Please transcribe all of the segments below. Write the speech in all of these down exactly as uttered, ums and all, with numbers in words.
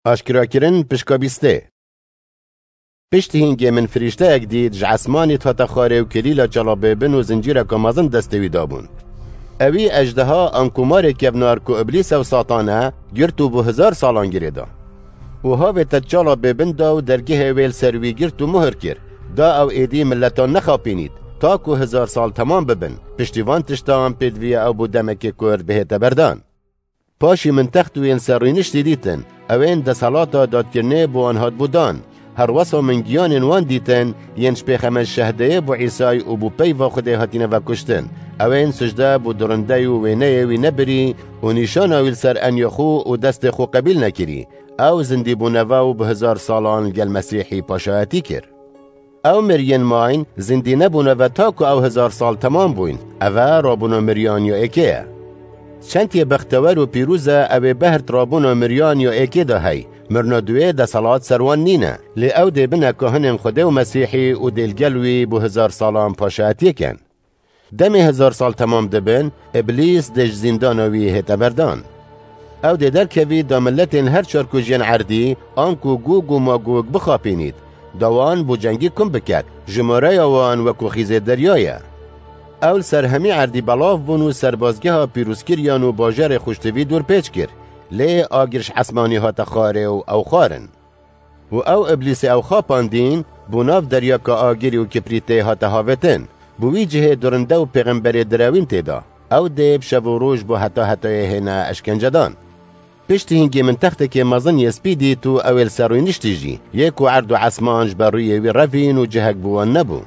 Aşkerakirin pişka bîstê. Piştî hîngê min firîşteyek dît, ji esmanî dihate xwarê û kilîla çala bêbin û zincîreka mezin destê wî dabûn. Ewî ejdeha an komarê kevnar ku Iblîs ew Satan e, girt û bo hezar salan girê da. Û havê te çala bêbin da û dergehê wê li ser wî girt û muhir kir. Da ew êdî miletan nexapînît, ta ku hezar sal temam bibin. Piştî van tiştan pêdiviya ew bo demekê kurt bihête berdan. Paşî min text û yên ser rûniştî dîtin, ewên deselata dadkirinê bo wan hatbû dan. Herwesa min giyanên wan dîtin, yên ji pêxemet şehdeyê bo Îsay û bo peyva Xwedê hatine vekuştin. Ewên sicde bo durindey û wêneyê wî nebirî û nîşana wî li ser enyê xwe û destê xwe qebîl nekirî. Ew zindî bûne ve û bi hezar salan li gel Mesîhî paşayetî kir. Ew miriyên mayîn zindî nebûne ve ta ku ew hezar sal temam bûyn. Ev e rabûna miriyan ya êkê ye. Çend yê bextewer û pîroz e, ew ê behrt rabûna miriyan ya êkê de hey. Mirina duwê deselat ser wan nîne. Lê ew dê bine kahinên Xwedê û Mesîhî û dê li gel wî bo hezar salan paşayetiyê ken. Demê hezar sal temam dibin, Iblîs dê ji zîndana wî hête berdan. Ew dê derkevî da miletên her çar ku jiyên erdî, anku Gog û Magog bixapînît, da wan bo cengî kum biket, jimareya wan wekû xîzê derya ye. Ew li ser hemî erdî belav bûn û serbazgeha pîrozkiriyan û bajarê xweştivî dorpêç kir, lê agir ji esmanî hate xwarê û ew xwarin. Û ew Iblîsê ew xapandîn, bo nav deryaka agirî û kiprîtê hate havêtin. Bo wî cihê durinde û pêxemberê direwîn tê da. Ew dê bi şev û roj bo heta hetayê hêne eşkencedan. Piştî hingê min textekê mezin yê spî dît û ew ê li ser rûniştî jî, yê ku erd û esman ji ber rûyê wî revîn û cihek bo wan nebû.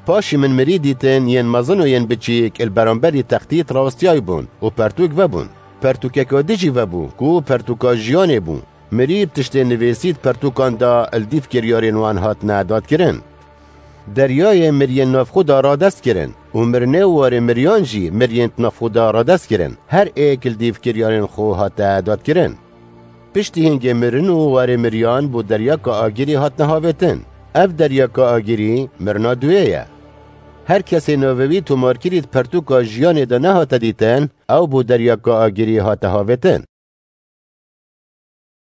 Paşî min mirî dîtin, yên mezin û yên biçîk li beramberî textî rawestiyay bûn û pertûk vebûn. Pertûkeka dijî vebû, ku pertûka jiyanê bû. Mirî bi tiştê nivîsî di pertûkan de li dîv kiryarên wan hatine dadkirin. Deryayê miriyên navxwe de radest kirin û mirinê û warê miriyan jî miriyên di navxwe de radest kirin. Her êk li dîv kiryarên xwe hate dadkirin. Piştî hingê mirin û warê miriyan bo deryaka agirî hatine havêtin. Ev deryaka agirî mirina duwê ye. Her kesê navê wî tomarkirî di pertûka jiyanê de nehate dîtin, ew bo deryaka agirî hate havêtin.